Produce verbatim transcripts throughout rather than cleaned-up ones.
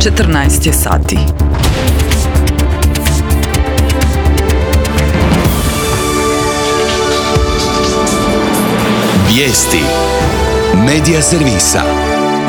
četrnaest je sati. Vijesti Medija servisa.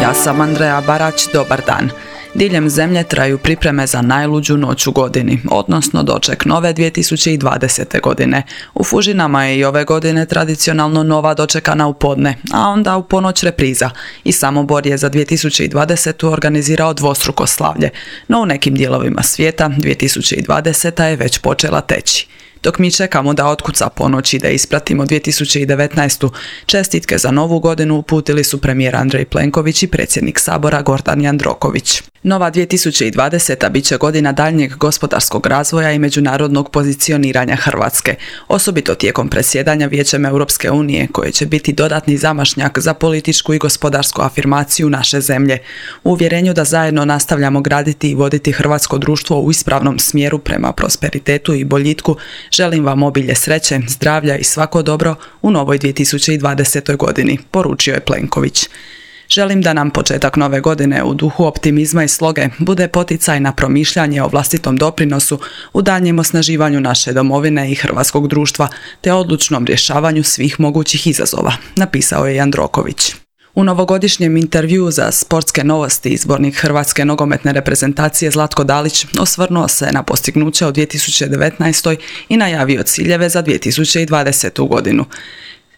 Ja sam Andreja Barać, dobar dan. Diljem zemlje traju pripreme za najluđu noć u godini, odnosno doček nove dvije tisuće dvadesete. godine. U Fužinama je i ove godine tradicionalno nova dočekana u podne, a onda u ponoć repriza. I Samobor je za dvije tisuće dvadesetu. organizirao dvostruko slavlje, no u nekim dijelovima svijeta dvije tisuće dvadeseta. je već počela teći. Dok mi čekamo da otkuca ponoć i da ispratimo dvije tisuće devetnaestu. čestitke za novu godinu uputili su premijer Andrej Plenković i predsjednik Sabora Gordan Jandroković. Nova dvije tisuće dvadeseta. bit će godina daljnjeg gospodarskog razvoja i međunarodnog pozicioniranja Hrvatske, osobito tijekom predsjedanja Vijećem Europske unije, koje će biti dodatni zamašnjak za političku i gospodarsku afirmaciju naše zemlje. U uvjerenju da zajedno nastavljamo graditi i voditi hrvatsko društvo u ispravnom smjeru prema prosperitetu i boljitku, želim vam obilje sreće, zdravlja i svako dobro u novoj dvije tisuće dvadesetoj. godini, poručio je Plenković. Želim da nam početak nove godine u duhu optimizma i sloge bude poticaj na promišljanje o vlastitom doprinosu u daljnjem osnaživanju naše domovine i hrvatskog društva, te odlučnom rješavanju svih mogućih izazova, napisao je Jandroković. U novogodišnjem intervjuu za Sportske novosti izbornik hrvatske nogometne reprezentacije Zlatko Dalić osvrnuo se na postignuće u dvije tisuće devetnaestoj. i najavio ciljeve za dvije tisuće dvadesetu. godinu.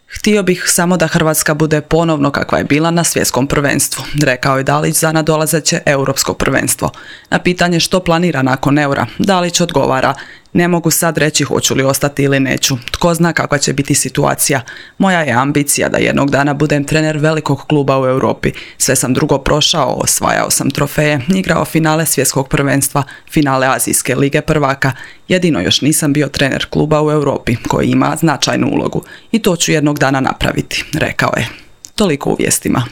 Htio bih samo da Hrvatska bude ponovno kakva je bila na svjetskom prvenstvu, rekao je Dalić za nadolazeće europsko prvenstvo. Na pitanje što planira nakon eura, Dalić odgovara: ne mogu sad reći hoću li ostati ili neću. Tko zna kakva će biti situacija. Moja je ambicija da jednog dana budem trener velikog kluba u Europi. Sve sam drugo prošao, osvajao sam trofeje, igrao finale svjetskog prvenstva, finale Azijske lige prvaka. Jedino još nisam bio trener kluba u Europi koji ima značajnu ulogu. I to ću jednog dana napraviti, rekao je. Toliko u vijestima.